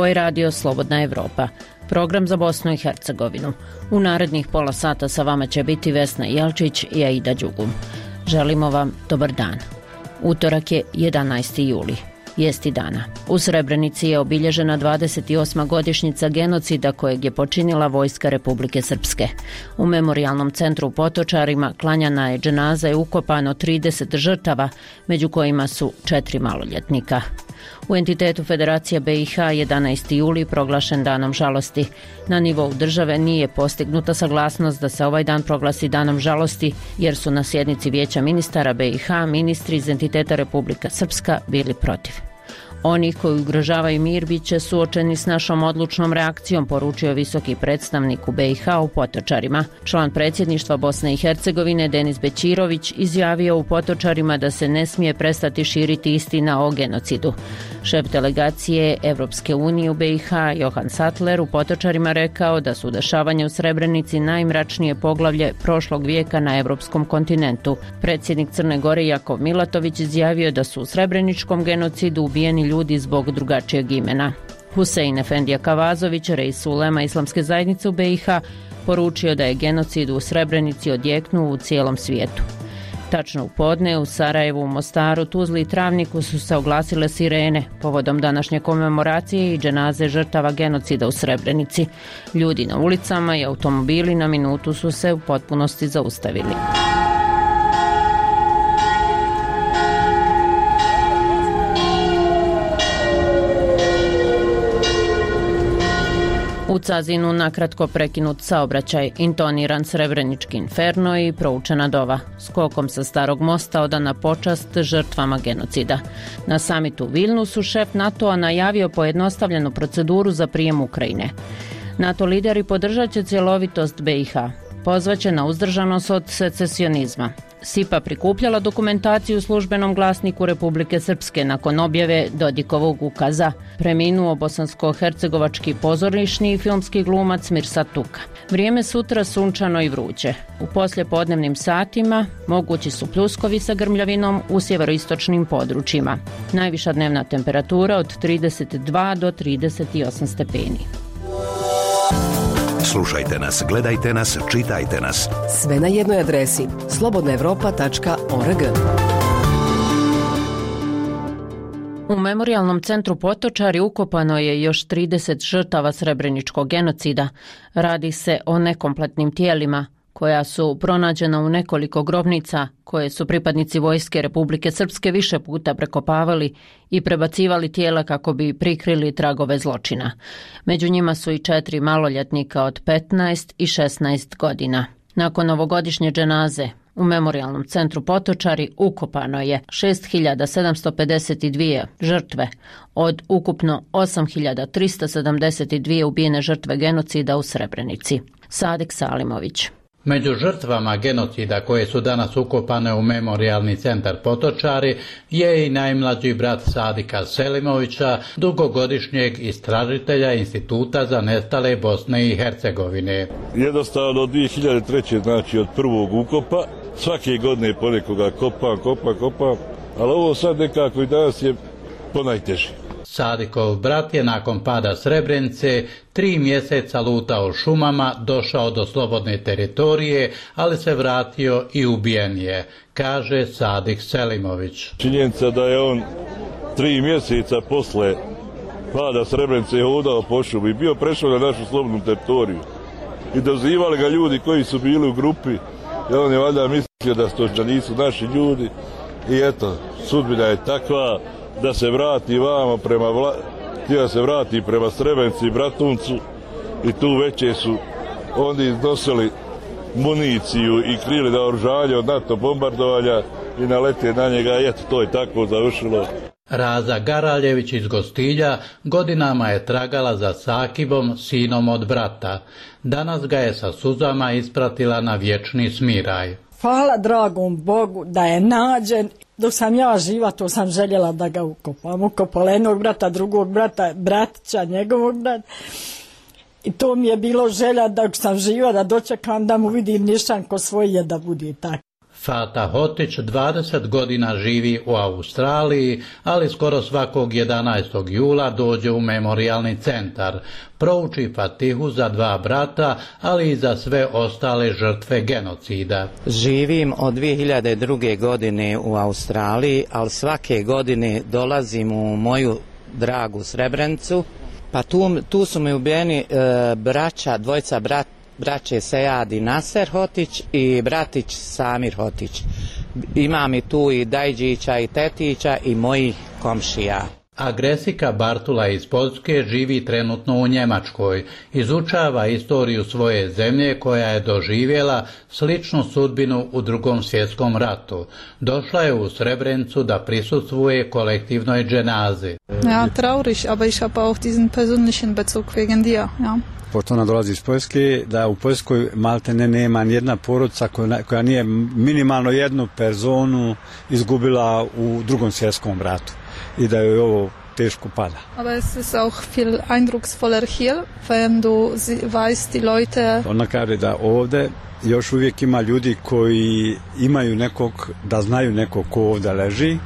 Ovo je radio Slobodna Evropa, program za Bosnu i Hercegovinu. U narednih pola sata sa vama će biti Vesna Jelčić i Aida Đugum. Želimo vam dobar dan. Utorak je 11. juli. Vijesti dana. U Srebrenici je obilježena 28. godišnjica genocida kojeg je počinila Vojska Republike Srpske. U memorijalnom centru u Potočarima klanjana je dženaza i ukopano 30 žrtava, među kojima su 4 maloljetnika. U entitetu Federacije BiH 11. juli proglašen danom žalosti. Na nivou države nije postignuta saglasnost da se ovaj dan proglasi danom žalosti, jer su na sjednici Vijeća ministara BiH ministri iz entiteta Republika Srpska bili protiv. Oni koji ugrožavaju mir bit će suočeni s našom odlučnom reakcijom, poručio visoki predstavnik u BiH u Potočarima. Član predsjedništva Bosne i Hercegovine Denis Bećirović izjavio u Potočarima da se ne smije prestati širiti istina o genocidu. Šef delegacije Evropske unije u BiH Johan Sattler u Potočarima rekao da su dešavanja u Srebrenici najmračnije poglavlje prošlog vijeka na evropskom kontinentu. Predsjednik Crne Gore Jakov Milatović izjavio da su u srebreničkom genocidu ubijeni ljudi zbog drugačijeg imena. Husein Efendija Kavazović, reis ulema Islamske zajednice u BiH, poručio da je genocid u Srebrenici odjeknuo u cijelom svijetu. Tačno u podne u Sarajevu, Mostaru, Tuzli i Travniku su se oglasile sirene povodom današnje komemoracije i dženaze žrtava genocida u Srebrenici. Ljudi na ulicama i automobili na minutu su se u potpunosti zaustavili. U Cazinu nakratko prekinut saobraćaj, intoniran srebrenički inferno i proučena dova. Skokom sa Starog mosta odana počast žrtvama genocida. Na samitu u Vilnusu šef NATO-a najavio pojednostavljenu proceduru za prijem Ukrajine. NATO lideri podržat će cjelovitost BiH. Pozvaće na uzdržanost od secesionizma. SIPA prikupljala dokumentaciju u službenom glasniku Republike Srpske nakon objave Dodikovog ukaza. Preminuo bosansko-hercegovački pozorišni i filmski glumac Mirsad Tuka. Vrijeme sutra sunčano i vruće. U poslijepodnevnim satima mogući su pljuskovi sa grmljavinom u sjeveroistočnim područjima. Najviša dnevna temperatura od 32 do 38 stepeni. Slušajte nas, gledajte nas, čitajte nas. Sve na jednoj adresi slobodnaevropa.org. U memorijalnom centru Potočari ukopano je još 30 žrtava srebreničkog genocida. Radi se o nekompletnim tijelima koja su pronađena u nekoliko grobnica koje su pripadnici Vojske Republike Srpske više puta prekopavali i prebacivali tijela kako bi prikrili tragove zločina. Među njima su i 4 maloljetnika od 15 i 16 godina. Nakon ovogodišnje dženaze u memorijalnom centru Potočari ukopano je 6752 žrtve od ukupno 8372 ubijene žrtve genocida u Srebrenici. Sadik Salimović. Među žrtvama genocida koje su danas ukopane u memorijalni centar Potočari je i najmlađi brat Sadika Selimovića, dugogodišnjeg istražitelja Instituta za nestale Bosne i Hercegovine. Jednostavno od 2003. znači od prvog ukopa, svake godine ponekoga kopam, ali ovo sad nekako i danas je ponajteže. Sadikov brat je nakon pada Srebrenice 3 mjeseca lutao šumama, došao do slobodne teritorije, ali se vratio i ubijen je, kaže Sadik Selimović. Činjenica da je on 3 mjeseca posle pada Srebrenice hodao po šumi i bio prešao na našu slobodnu teritoriju. I dozivali ga ljudi koji su bili u grupi, i on je valjda mislio da nisu naši ljudi. I eto, sudbina je takva da se vrati vamo htio se vrati prema Srebrenici i Bratuncu i tu veće su oni iznosili municiju i krili naoružanje od NATO bombardovanja i nalete na njega i eto, to je tako završilo. Raza Garaljević iz Gostilja godinama je tragala za Sakibom, sinom od brata. Danas ga je sa suzama ispratila na vječni smiraj. Hvala dragom Bogu da je nađen. Dok sam ja živa, to sam željela da ga ukopam. Ukopala jednog brata, drugog brata, bratića, njegovog brata. I to mi je bilo želja dok sam živa da dočekam da mu vidim nišan ko svoje da bude tako. Fata Hotić 20 godina živi u Australiji, ali skoro svakog 11. jula dođe u memorijalni centar. Prouči Fatihu za 2 brata, ali i za sve ostale žrtve genocida. Živim od 2002. godine u Australiji, ali svake godine dolazim u moju dragu Srebrenicu. Pa tu su mi ubijeni dvojica braće Sejad i Naser Hotić i bratić Samir Hotić. Imam i tu i Dajđića i Tetića i mojih komšija. Agresika Bartula iz Poljske živi trenutno u Njemačkoj. Izučava istoriju svoje zemlje koja je doživjela sličnu sudbinu u Drugom svjetskom ratu. Došla je u Srebrenicu da prisustvuje kolektivnoj dženazi. Ja, traurig, aber ich habe auch diesen persönlichen Bezug wegen dir, ja. Pošto ona dolazi iz Poljske, da u Poljskoj maltene nema nijedna porodica koja nije minimalno jednu personu izgubila u Drugom svjetskom ratu i da joj ovo teško pada. Aber es ist auch viel eindrucksvoller hier, wenn du weißt die Leute. Ona kaže da ovdje još uvijek ima ljudi koji imaju nekog, da znaju nekog ko ovdje leži,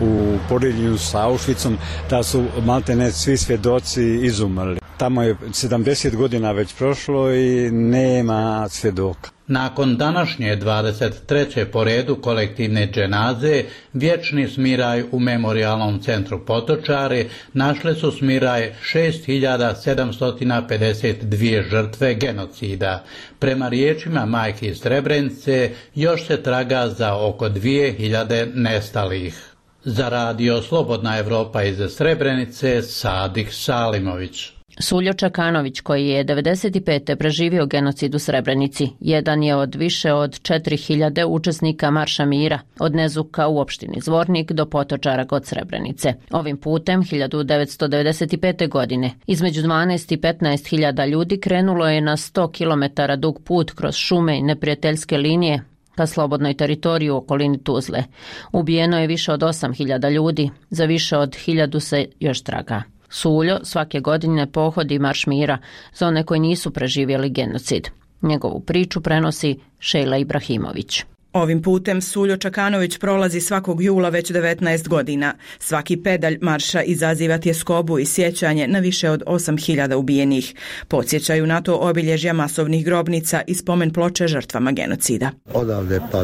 u poređenju sa Auschwitzom, da su maltene svi svjedoci izumrli. Tamo je 70 godina već prošlo i nema svjedoka. Nakon današnje 23. po redu kolektivne dženaze, vječni smiraj u memorijalnom centru Potočari našle su smiraj 6752 žrtve genocida. Prema riječima majki iz Srebrenice, još se traga za oko 2000 nestalih. Za radio Slobodna Evropa iz Srebrenice, Sadik Salimović. Suljo Čakanović, koji je 1995. preživio genocid u Srebrenici, jedan je od više od 4000 učesnika Marša mira, od Nezuka u opštini Zvornik do Potočara kod Srebrenice. Ovim putem, 1995. godine, između 12 i 15.000 ljudi krenulo je na 100 km dug put kroz šume i neprijateljske linije ka slobodnoj teritoriji u okolini Tuzle. Ubijeno je više od 8.000 ljudi, za više od 1000 se još traga. Suljo svake godine pohodi Marš mira za one koji nisu preživjeli genocid. Njegovu priču prenosi Šejla Ibrahimović. Ovim putem Suljo Čakanović prolazi svakog jula već 19 godina. Svaki pedalj marša izaziva tjeskobu i sjećanje na više od 8.000 ubijenih. Podsjećaju na to obilježja masovnih grobnica i spomen ploče žrtvama genocida. Odavde pa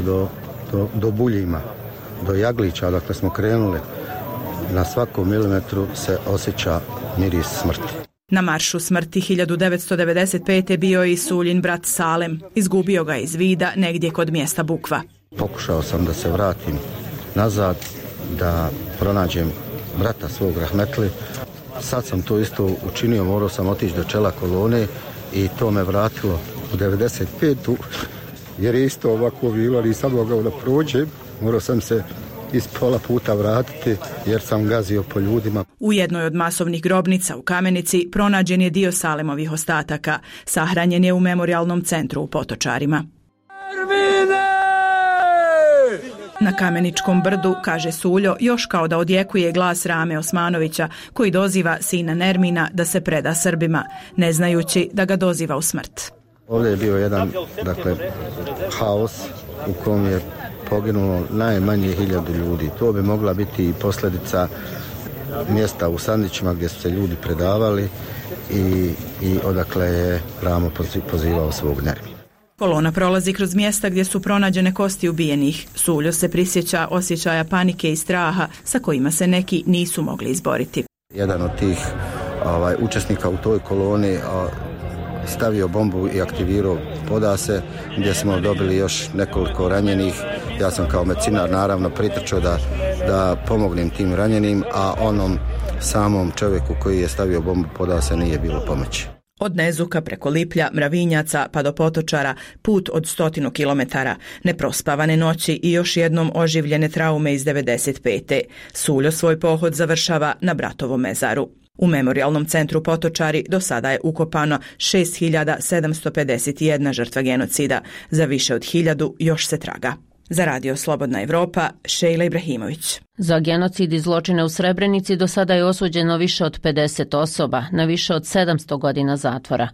do Buljima, do Jaglića, odakle smo krenuli, na svakom milimetru se osjeća miris smrti. Na maršu smrti 1995. bio je i Suljin brat Salem. Izgubio ga iz vida negdje kod mjesta Bukva. Pokušao sam da se vratim nazad, da pronađem brata svog rahmetli. Sad sam to isto učinio, morao sam otići do čela kolone i to me vratilo u 95. jer je isto ovako bilo, nisam mogao da prođem. Morao sam se iz pola puta vratiti jer sam gazio po ljudima. U jednoj od masovnih grobnica u Kamenici pronađen je dio Salemovih ostataka. Sahranjen je u memorijalnom centru u Potočarima. Na Kameničkom brdu, kaže Suljo, još kao da odjekuje glas Rame Osmanovića, koji doziva sina Nermina da se preda Srbima, ne znajući da ga doziva u smrt. Ovdje je bio jedan, haos u kom je poginulo najmanje 1000 ljudi. To bi mogla biti i posljedica mjesta u Sandićima gdje su se ljudi predavali i odakle je Ramo pozivao svog Nermina. Kolona prolazi kroz mjesta gdje su pronađene kosti ubijenih. Suljo se prisjeća osjećaja panike i straha sa kojima se neki nisu mogli izboriti. Jedan od tih učesnika u toj koloni stavio bombu i aktivirao podase, gdje smo dobili još nekoliko ranjenih. Ja sam kao medicinar naravno pritrčao da pomognem tim ranjenim, a onom samom čovjeku koji je stavio bombu podase nije bilo pomoći. Od Nezuka preko Liplja, Mravinjaca pa do Potočara, put od 100 kilometara, neprospavane noći i još jednom oživljene traume iz 95. Suljo svoj pohod završava na bratovom mezaru. U memorijalnom centru Potočari do sada je ukopano 6751 žrtva genocida, za više od 1000 još se traga. Za Radio Slobodna Evropa, Šejla Ibrahimović. Za genocid i zločine u Srebrenici do sada je osuđeno više od 50 osoba na više od 700 godina zatvora.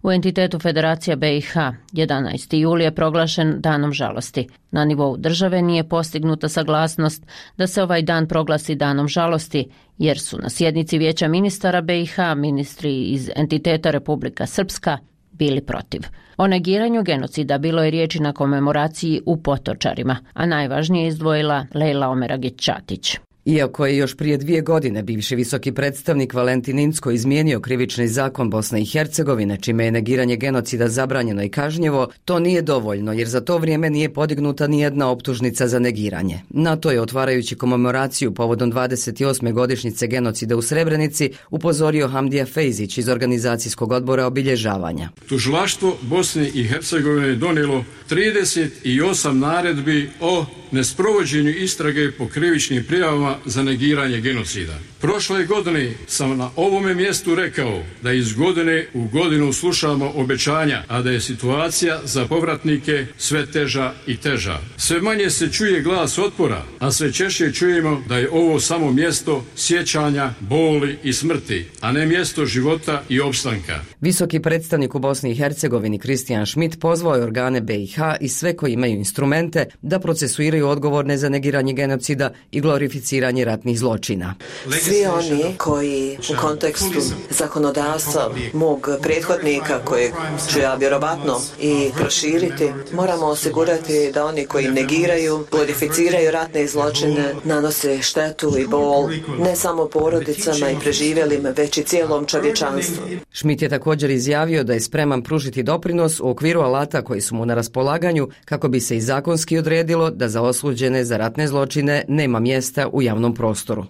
U entitetu Federacija BiH 11. juli je proglašen danom žalosti. Na nivou države nije postignuta saglasnost da se ovaj dan proglasi danom žalosti, jer su na sjednici Vijeća ministara BiH ministri iz entiteta Republika Srpska bili protiv. O negiranju genocida bilo je riječi na komemoraciji u Potočarima, a najvažnije je izdvojila Lejla Omeragić-Ćatić. Iako je još prije 2 godine bivši visoki predstavnik Valentin Incko izmijenio krivični zakon Bosne i Hercegovine, čime je negiranje genocida zabranjeno i kažnjivo, to nije dovoljno jer za to vrijeme nije podignuta ni jedna optužnica za negiranje. Na to je, otvarajući komemoraciju povodom 28. godišnjice genocida u Srebrenici, upozorio Hamdija Fejzić iz organizacijskog odbora obilježavanja. Tužilaštvo Bosne i Hercegovine je donijelo 38 naredbi o nesprovođenju istrage po krivičnim prijavama za negiranje genocida. Prošle godine sam na ovome mjestu rekao da iz godine u godinu slušamo obećanja, a da je situacija za povratnike sve teža i teža. Sve manje se čuje glas otpora, a sve češće čujemo da je ovo samo mjesto sjećanja, boli i smrti, a ne mjesto života i opstanka. Visoki predstavnik u Bosni i Hercegovini Kristijan Schmidt pozvao je organe BiH i sve koji imaju instrumente da procesuiraju odgovorne za negiranje genocida i glorificiranje ratnih zločina. Svi oni koji u kontekstu zakonodavstva mog prethodnika, koje ću ja vjerovatno i proširiti, moramo osigurati da oni koji negiraju, glorificiraju ratne zločine, nanose štetu i bol ne samo porodicama i preživjelim, već i cijelom čovječanstvu. Schmidt je također izjavio da je spreman pružiti doprinos u okviru alata koji su mu na raspolaganju kako bi se i zakonski odredilo da za osuđene za ratne zločine nema mjesta u javnom prostoru.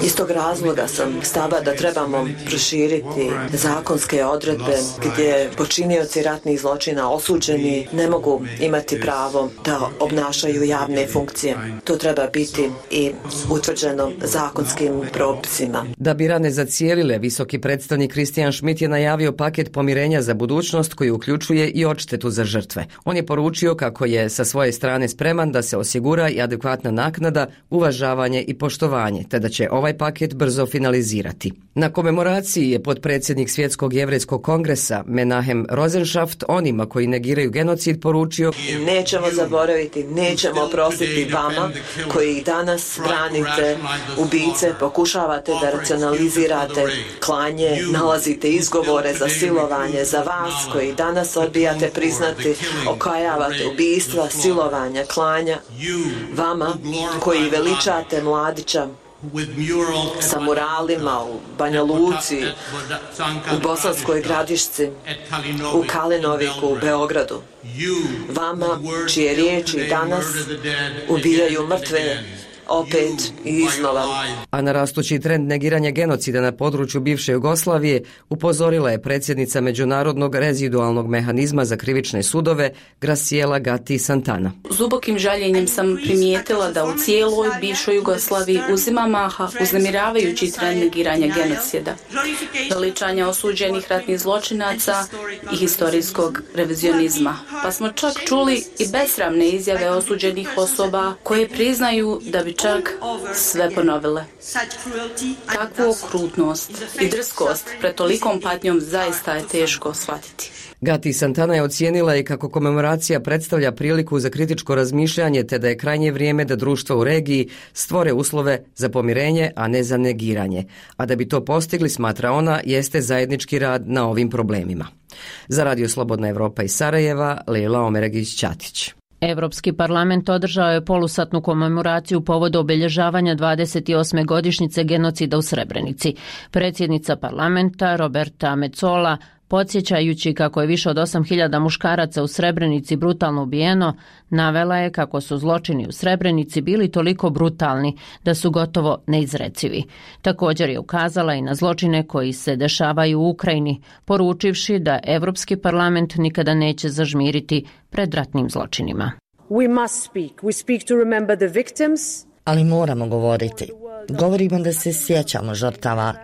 Iz tog razloga sam stava da trebamo proširiti zakonske odredbe gdje počinioci ratnih zločina osuđeni ne mogu imati pravo da obnašaju javne funkcije. To treba biti i utvrđeno zakonskim propisima. Da bi rane zacijelile, visoki predstavnik Kristijan Schmidt je najavio paket pomirenja za budućnost koji uključuje i odštetu za žrtve. On je poručio kako je sa svoje strane spreman da se osigura i adekvatna naknada, uvažavanje i poštovanje, te da će ovaj paket brzo finalizirati. Na komemoraciji je potpredsjednik Svjetskog jevrejskog kongresa Menahem Rozenschaft onima koji negiraju genocid poručio: nećemo zaboraviti, nećemo oprostiti vama koji danas branite ubice, pokušavate da racionalizirate klanje, nalazite izgovore za silovanje, za vas koji danas odbijate priznati, okajavate ubistva, silovanja, klanja, vama koji veličate Mladića sa muralima u Banja Luci, u Bosanskoj Gradišci, u Kalinoviku, u Beogradu. Vama čije riječi danas ubijaju mrtve opet i iznova. A na rastući trend negiranja genocida na području bivše Jugoslavije upozorila je predsjednica Međunarodnog rezidualnog mehanizma za krivične sudove Graciela Gatti Santana. S dubokim žaljenjem sam primijetila da u cijeloj bivšoj Jugoslaviji uzima maha uznemiravajući trend negiranja genocida, veličanja osuđenih ratnih zločinaca i historijskog revizionizma. Pa smo čak čuli i besramne izjave osuđenih osoba koje priznaju da bi čak sve ponovile. Takvu okrutnost i drskost pred tolikom patnjom zaista je teško shvatiti. Gatti Santana je ocijenila i kako komemoracija predstavlja priliku za kritičko razmišljanje, te da je krajnje vrijeme da društva u regiji stvore uslove za pomirenje, a ne za negiranje. A da bi to postigli, smatra ona, jeste zajednički rad na ovim problemima. Za Radio Slobodna Evropa iz Sarajeva, Lejla Omeragić-Ćatić. Evropski parlament održao je polusatnu komemoraciju povodom obilježavanja 28. godišnjice genocida u Srebrenici. Predsjednica parlamenta Roberta Metsola, podsjećajući kako je više od 8.000 muškaraca u Srebrenici brutalno ubijeno, navela je kako su zločini u Srebrenici bili toliko brutalni da su gotovo neizrecivi. Također je ukazala i na zločine koji se dešavaju u Ukrajini, poručivši da Evropski parlament nikada neće zažmiriti pred ratnim zločinima. Ali moramo govoriti. Govorimo da se sjećamo žrtava.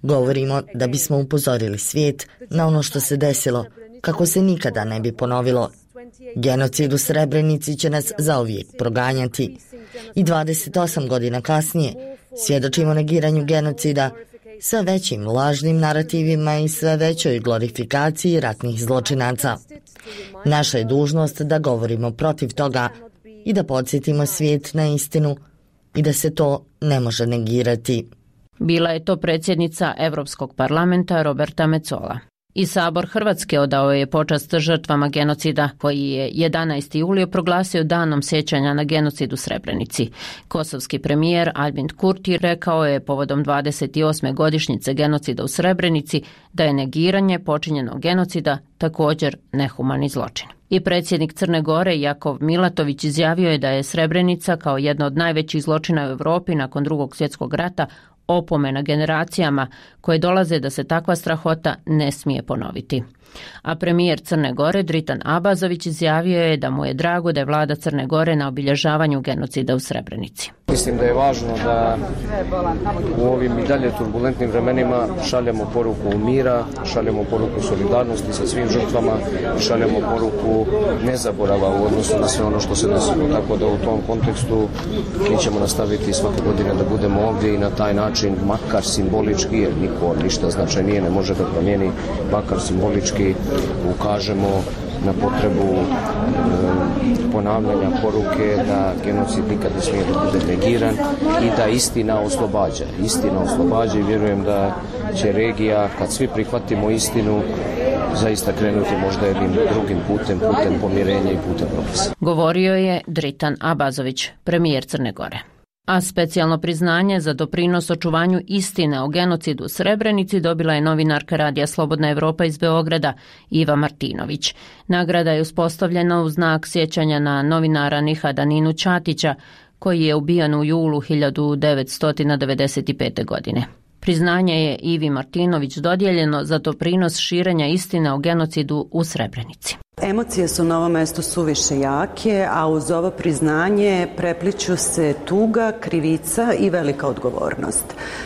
Govorimo da bismo upozorili svijet na ono što se desilo, kako se nikada ne bi ponovilo. Genocid u Srebrenici će nas zauvijek proganjati. I 28 godina kasnije svjedočimo negiranju genocida, sve većim lažnim narativima i sve većoj glorifikaciji ratnih zločinaca. Naša je dužnost da govorimo protiv toga i da podsjetimo svijet na istinu i da se to ne može negirati. Bila je to predsjednica Europskog parlamenta Roberta Metsola. I Sabor Hrvatske odao je počast žrtvama genocida, koji je 11. julio proglasio danom sjećanja na genocid u Srebrenici. Kosovski premijer Albin Kurti rekao je povodom 28. godišnjice genocida u Srebrenici da je negiranje počinjenog genocida također nehumani zločin. I predsjednik Crne Gore Jakov Milatović izjavio je da je Srebrenica kao jedna od najvećih zločina u Europi nakon Drugog svjetskog rata opomena generacijama koje dolaze da se takva strahota ne smije ponoviti. A premijer Crne Gore Dritan Abazović izjavio je da mu je drago da je vlada Crne Gore na obilježavanju genocida u Srebrenici. Mislim da je važno da u ovim i dalje turbulentnim vremenima šaljemo poruku mira, šaljemo poruku solidarnosti sa svim žrtvama, šaljemo poruku nezaborava u odnosu na sve ono što se desilo. Tako da u tom kontekstu mi ćemo nastaviti svake godine da budemo ovdje i na taj način, makar simbolički, jer niko ništa značajnije ne može da promijeni, makar simbolički ukažemo na potrebu ponavljanja poruke da genocid nikad ne smije da bude negiran i da istina oslobađa. Istina oslobađa i vjerujem da će regija, kad svi prihvatimo istinu, zaista krenuti možda jednim drugim putem pomirenja i putem propisa. Govorio je Dritan Abazović, premijer Crne Gore. A specijalno priznanje za doprinos očuvanju istine o genocidu u Srebrenici dobila je novinarka Radija Slobodna Evropa iz Beograda Iva Martinović. Nagrada je uspostavljena u znak sjećanja na novinara Nihada Ninu Ćatića, koji je ubijan u julu 1995. godine. Priznanje je Ivi Martinović dodijeljeno za doprinos širenja istine o genocidu u Srebrenici. Emocije su na ovom mjestu suviše jake, a uz ovo priznanje prepliću se tuga, krivica i velika odgovornost.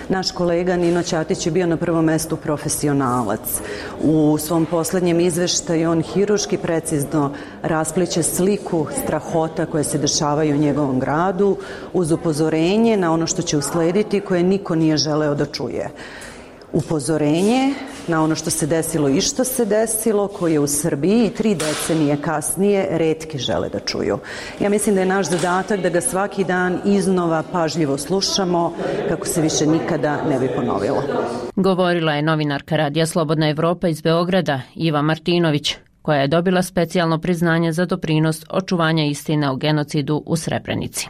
Naš kolega Nino Ćatić je bio na prvom mjestu profesionalac. U svom posljednjem izveštaju on hirurški precizno raspliće sliku strahota koje se dešavaju u njegovom gradu uz upozorenje na ono što će uslediti koje niko nije želeo da čuje. Upozorenje na ono što se desilo i što se desilo, koje u Srbiji 3 decenije kasnije retki žele da čuju. Ja mislim da je naš zadatak da ga svaki dan iznova pažljivo slušamo kako se više nikada ne bi ponovilo. Govorila je novinarka Radija Slobodna Evropa iz Beograda Iva Martinović, koja je dobila specijalno priznanje za doprinos očuvanja istine o genocidu u Srebrenici.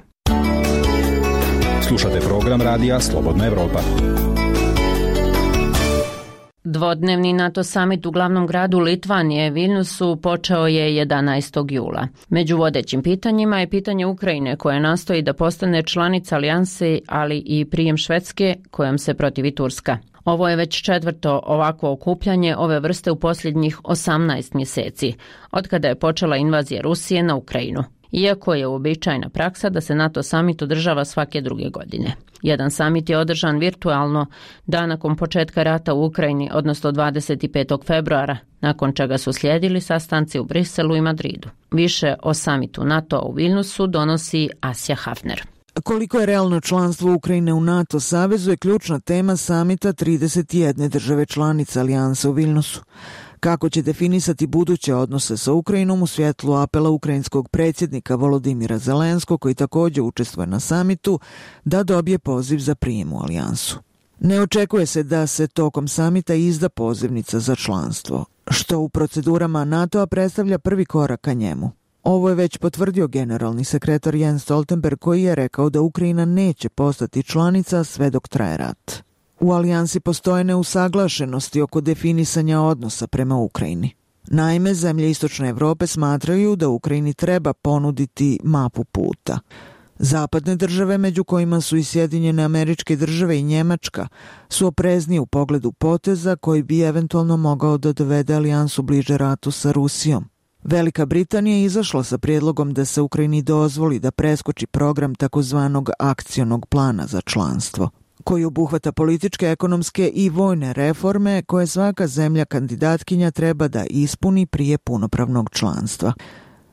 Slušate program Radija Slobodna Evropa. Dvodnevni NATO samit u glavnom gradu Litvanije, Vilnusu, počeo je 11. jula. Među vodećim pitanjima je pitanje Ukrajine, koja nastoji da postane članica alijanse, ali i prijem Švedske, kojom se protivi Turska. Ovo je već 4. ovakvo okupljanje ove vrste u posljednjih 18 mjeseci, otkada je počela invazija Rusije na Ukrajinu. Iako je uobičajena praksa da se NATO samit održava svake druge godine. Jedan samit je održan virtualno dan nakon početka rata u Ukrajini, odnosno 25. februara, nakon čega su slijedili sastanci u Briselu i Madridu. Više o samitu NATO u Vilnusu donosi Asja Hafner. Koliko je realno članstvo Ukrajine u NATO savezu je ključna tema samita 31 države članice alijanse u Vilnusu. Kako će definisati buduće odnose sa Ukrajinom u svjetlu apela ukrajinskog predsjednika Volodimira Zelenskog, koji također učestvuje na samitu, da dobije poziv za prijem u alijansu. Ne očekuje se da se tokom samita izda pozivnica za članstvo, što u procedurama NATO-a predstavlja prvi korak ka njemu. Ovo je već potvrdio generalni sekretar Jens Stoltenberg, koji je rekao da Ukrajina neće postati članica sve dok traje rat. U alijansi postoje neusaglašenosti oko definisanja odnosa prema Ukrajini. Naime, zemlje Istočne Evrope smatraju da Ukrajini treba ponuditi mapu puta. Zapadne države, među kojima su i Sjedinjene Američke Države i Njemačka, su opreznije u pogledu poteza koji bi eventualno mogao da dovede alijansu bliže ratu sa Rusijom. Velika Britanija je izašla sa prijedlogom da se Ukrajini dozvoli da preskoči program takozvanog akcionog plana za članstvo, koji obuhvata političke, ekonomske i vojne reforme koje svaka zemlja kandidatkinja treba da ispuni prije punopravnog članstva.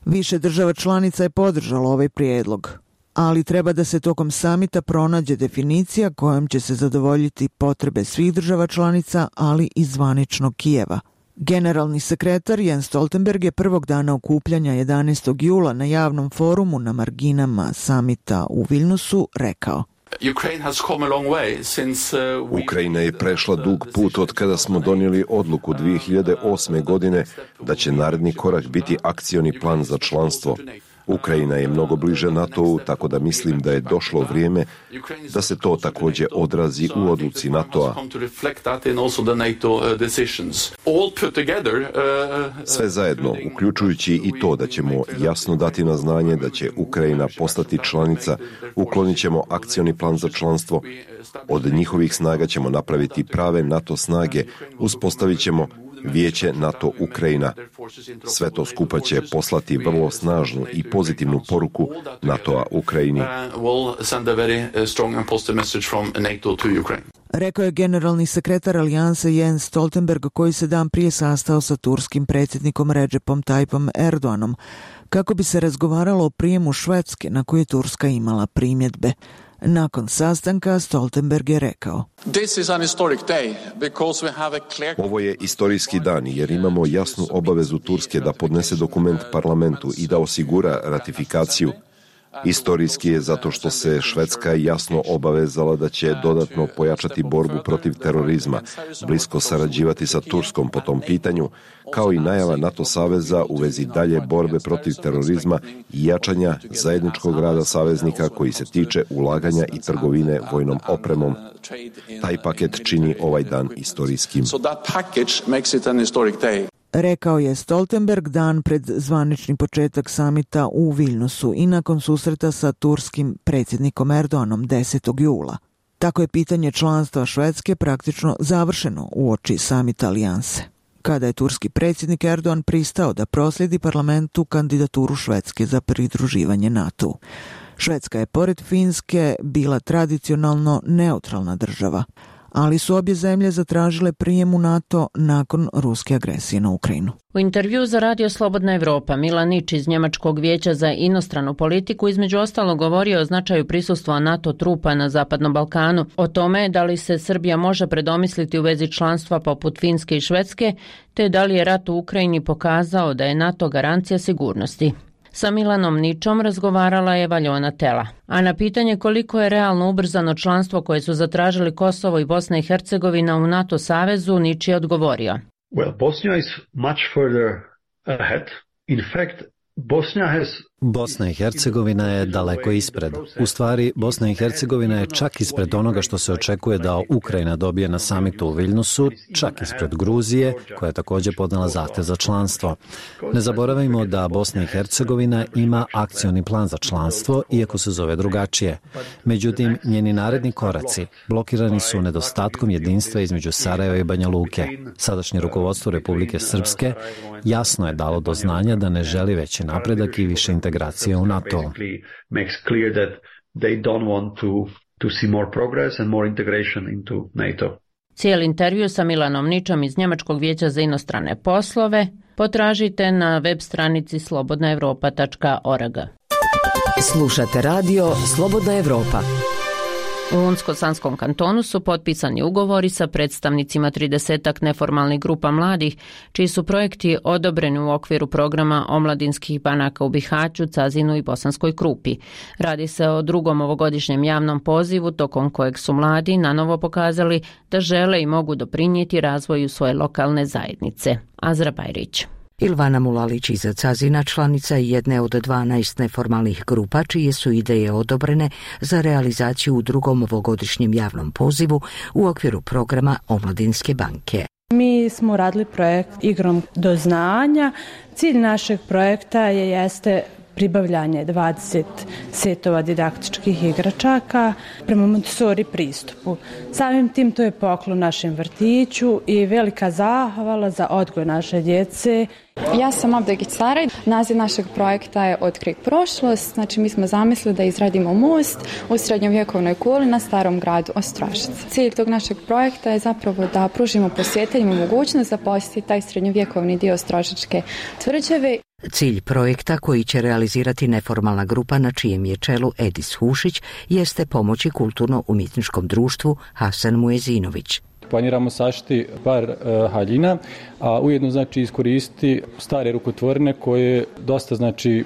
Više država članica je podržalo ovaj prijedlog, ali treba da se tokom samita pronađe definicija kojom će se zadovoljiti potrebe svih država članica, ali i zvaničnog Kijeva. Generalni sekretar Jens Stoltenberg je prvog dana okupljanja 11. jula na javnom forumu na marginama samita u Vilnusu rekao: Ukrajina je prešla dug put od kada smo donijeli odluku 2008. godine da će naredni korak biti akcioni plan za članstvo. Ukrajina je mnogo bliže NATO-u, tako da mislim da je došlo vrijeme da se to također odrazi u odluci NATO-a. Sve zajedno, uključujući i to da ćemo jasno dati na znanje da će Ukrajina postati članica, uklonit ćemo akcioni plan za članstvo, od njihovih snaga ćemo napraviti prave NATO snage, uspostavit ćemo Vijeće NATO Ukrajina. Sve to skupa će poslati vrlo snažnu i pozitivnu poruku NATO-a Ukrajini. Rekao je generalni sekretar alijanse Jens Stoltenberg, koji se dan prije sastao sa turskim predsjednikom Recepom Tayyipom Erdoganom kako bi se razgovaralo o prijemu Švedske na koje je Turska imala primjedbe. Nakon sastanka Stoltenberg je rekao: Ovo je istorijski dan jer imamo jasnu obavezu Turske da podnese dokument parlamentu i da osigura ratifikaciju. Istorijski je zato što se Švedska jasno obavezala da će dodatno pojačati borbu protiv terorizma, blisko sarađivati sa Turskom po tom pitanju, kao i najava NATO saveza u vezi dalje borbe protiv terorizma i jačanja zajedničkog rada saveznika koji se tiče ulaganja i trgovine vojnom opremom. Taj paket čini ovaj dan istorijskim. Rekao je Stoltenberg dan pred zvanični početak samita u Vilnusu i nakon susreta sa turskim predsjednikom Erdoganom 10. jula. Tako je pitanje članstva Švedske praktično završeno uoči samita alijanse, kada je turski predsjednik Erdogan pristao da proslijedi parlamentu kandidaturu Švedske za pridruživanje NATO-u. Švedska je pored Finske bila tradicionalno neutralna država, ali su obje zemlje zatražile prijem u NATO nakon ruske agresije na Ukrajinu. U intervju za Radio Slobodna Evropa Milan Nič iz Njemačkog vijeća za inostranu politiku između ostalog govorio o značaju prisustva NATO trupa na Zapadnom Balkanu, o tome da li se Srbija može predomisliti u vezi članstva poput Finske i Švedske, te da li je rat u Ukrajini pokazao da je NATO garancija sigurnosti. Sa Milanom Ničom razgovarala je Valjona Tela, a na pitanje koliko je realno ubrzano članstvo koje su zatražili Kosovo i Bosna i Hercegovina u NATO savezu, Nič je odgovorio: Well, Bosnia is much further ahead. In fact, Bosna i Hercegovina je daleko ispred. U stvari, Bosna i Hercegovina je čak ispred onoga što se očekuje da Ukrajina dobije na samitu u Vilnusu, čak ispred Gruzije, koja je također podnela zahtjev za članstvo. Ne zaboravimo da Bosna i Hercegovina ima akcioni plan za članstvo, iako se zove drugačije. Međutim, njeni naredni koraci blokirani su nedostatkom jedinstva između Sarajeva i Banja Luke. Sadašnje rukovodstvo Republike Srpske jasno je dalo do znanja da ne želi veći napredak i više integracije u NATO. Cijeli intervju sa Milanom Ničom iz Njemačkog vijeća za inostrane poslove potražite na web stranici slobodnaevropa.org. Slušate radio Slobodna Evropa. U Unsko-Sanskom kantonu su potpisani ugovori sa predstavnicima 30 neformalnih grupa mladih, čiji su projekti odobreni u okviru programa omladinskih banaka u Bihaću, Cazinu i Bosanskoj Krupi. Radi se o drugom ovogodišnjem javnom pozivu, tokom kojeg su mladi nanovo pokazali da žele i mogu doprinijeti razvoju svoje lokalne zajednice. Azra Bajrić. Ilvana Mulalić iz Cazina članica je jedne od 12 neformalnih grupa čije su ideje odobrene za realizaciju u drugom ovogodišnjem javnom pozivu u okviru programa Omladinske banke. Mi smo radili projekt Igrom do znanja. Cilj našeg projekta jeste pribavljanje 20 setova didaktičkih igračaka prema Montessori pristupu. Samim tim to je poklon našem vrtiću i velika zahvala za odgoj naše djece. Ja sam Abdegić Saraj. Naziv našeg projekta je Otkrij prošlost. Znači mi smo zamislili da izradimo most u srednjovjekovnoj kuli na starom gradu Ostrošac. Cilj tog našeg projekta je zapravo da pružimo posjetiteljima mogućnost da posjeti taj srednjovjekovni dio Ostrošačke tvrđave. Cilj projekta koji će realizirati neformalna grupa na čijem je čelu Edis Hušić jeste pomoći kulturno-umjetničkom društvu Hasan Muezinović. Planiramo sašiti par haljina, a ujedno znači iskoristiti stare rukotvorine koje dosta znači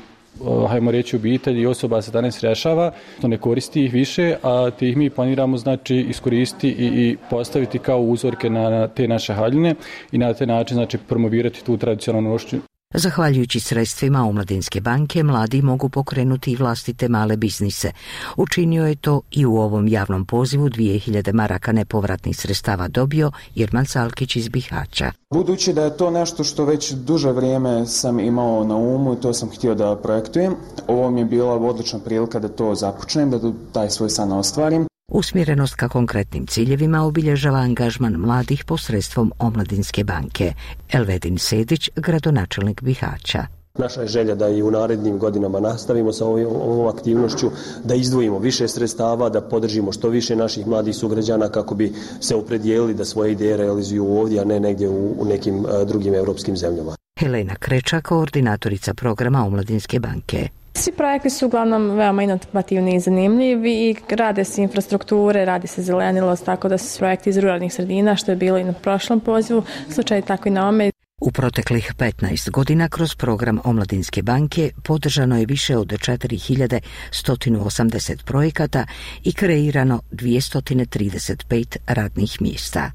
hajmo reći obitelji i osoba se danas rješava, to ne koristi ih više, a te ih mi planiramo znači iskoristiti i postaviti kao uzorke na te naše haljine i na taj način znači promovirati tu tradicionalnu nošnju. Zahvaljujući sredstvima Omladinske banke, mladi mogu pokrenuti i vlastite male biznise. Učinio je to i u ovom javnom pozivu 2000 maraka nepovratnih sredstava dobio Irman Salkić iz Bihaća. Budući da je to nešto što već duže vrijeme sam imao na umu i to sam htio da projektujem, ovo mi je bila odlična prilika da to započnem, da taj svoj san ostvarim. Usmjerenost ka konkretnim ciljevima obilježava angažman mladih posredstvom Omladinske banke. Elvedin Sedić, gradonačelnik Bihaća. Naša je želja da i u narednim godinama nastavimo sa ovom aktivnošću, da izdvojimo više sredstava, da podržimo što više naših mladih sugrađana kako bi se opredijelili da svoje ideje realizuju ovdje, a ne negdje u nekim drugim europskim zemljama. Helena Kreča, koordinatorica programa Omladinske banke. Svi projekti su uglavnom veoma inovativni i zanimljivi i rade se infrastrukture, radi se zelenilost, tako da su projekti iz ruralnih sredina, što je bilo i na prošlom pozivu, slučaj tako i na ome. U proteklih 15 godina kroz program Omladinske banke podržano je više od 4180 projekata i kreirano 235 radnih mjesta.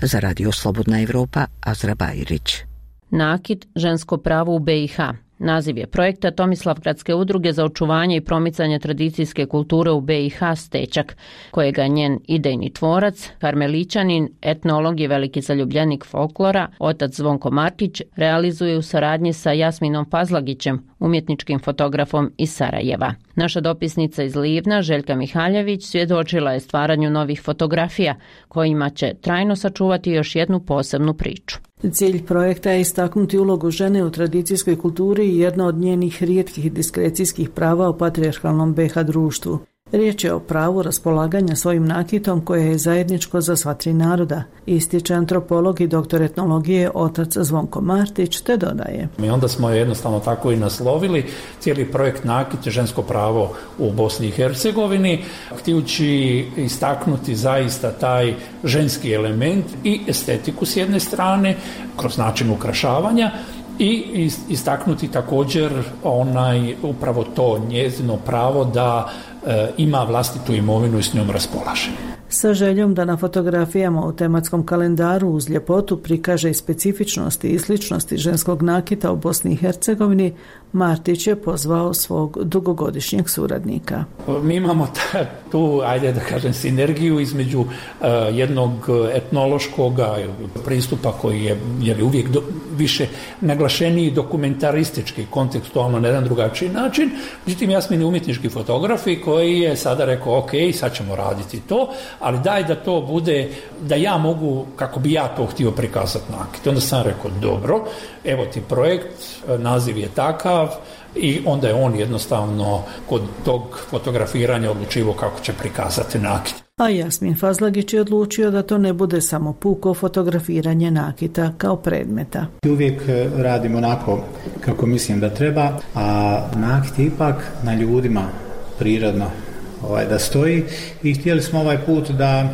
Za Radio Slobodna Evropa, Azra Bajrić. Nakit, žensko pravo u BiH. Naziv je projekta Tomislavgradske udruge za očuvanje i promicanje tradicijske kulture u BiH Stečak, kojega je njen idejni tvorac, karmelićanin, etnolog i veliki zaljubljenik folklora, otac Zvonko Martić, realizuje u saradnji sa Jasminom Fazlagićem, umjetničkim fotografom iz Sarajeva. Naša dopisnica iz Livna, Željka Mihaljević, svjedočila je stvaranju novih fotografija, kojima će trajno sačuvati još jednu posebnu priču. Cilj projekta je istaknuti ulogu žene u tradicijskoj kulturi i jedna od njenih rijetkih diskrecijskih prava u patrijarhalnom BiH društvu. Riječ je o pravu raspolaganja svojim nakitom koje je zajedničko za sva tri naroda, ističe antropolog i doktor etnologije otac Zvonko Martić, te dodaje. I onda smo jednostavno tako i naslovili cijeli projekt Nakit, žensko pravo u Bosni i Hercegovini, htijući istaknuti zaista taj ženski element i estetiku s jedne strane, kroz način ukrašavanja, i istaknuti također upravo to njezino pravo da ima vlastitu imovinu i s njom raspolaže. Sa željom da na fotografijama u tematskom kalendaru uz ljepotu prikaže i specifičnosti i sličnosti ženskog nakita u Bosni i Hercegovini, Martić je pozvao svog dugogodišnjeg suradnika. Mi imamo tu, ajde da kažem, sinergiju između jednog etnološkog pristupa koji je uvijek više naglašeniji dokumentaristički, kontekstualno na jedan drugačiji način. Međutim, Jasmin je umjetnički fotograf koji je sada rekao, ok, sad ćemo raditi to, ali daj da to bude, da ja mogu, kako bi ja to htio prikazati nakit. Onda sam rekao, dobro, evo ti projekt, naziv je takav, i onda je on jednostavno kod tog fotografiranja odlučivao kako će prikazati nakit. A Jasmin Fazlagić je odlučio da to ne bude samo puko fotografiranje nakita kao predmeta. Uvijek radim onako kako mislim da treba, a nakit je ipak na ljudima prirodno da stoji i htjeli smo ovaj put da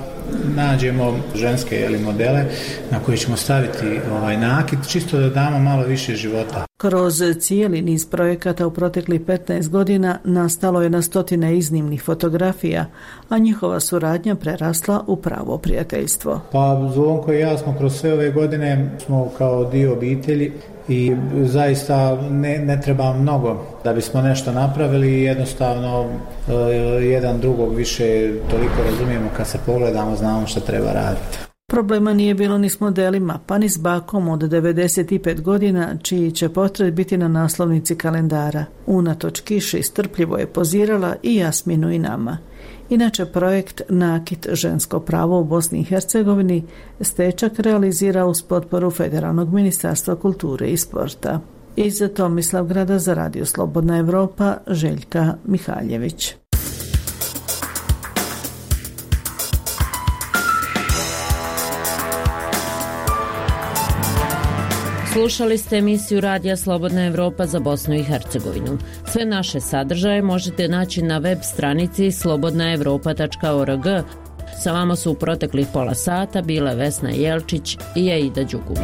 nađemo ženske modele na koje ćemo staviti nakit, čisto da damo malo više života. Kroz cijeli niz projekata u proteklih 15 godina nastalo je na stotine iznimnih fotografija, a njihova suradnja prerasla u pravo prijateljstvo. Pa Zvonko i ja smo kroz sve ove godine smo kao dio obitelji i zaista ne treba mnogo da bismo nešto napravili i jednostavno jedan drugog više toliko razumijemo kad se pogledamo, znamo što treba raditi. Problema nije bilo ni s modelima, pa ni s bakom od 95 godina, čiji će portret biti na naslovnici kalendara. Unatoč kiši strpljivo je pozirala i Jasminu i nama. Inače, projekt Nakit, žensko pravo u Bosni i Hercegovini Stečak realizira uz potporu Federalnog ministarstva kulture i sporta. Iz Tomislavgrada za Radio Slobodna Evropa, Željka Mihaljević. Slušali ste emisiju Radija Slobodna Evropa za Bosnu i Hercegovinu. Sve naše sadržaje možete naći na web stranici slobodnaevropa.org. Sa vama su u proteklih pola sata bile Vesna Jelčić i Aida Đugum.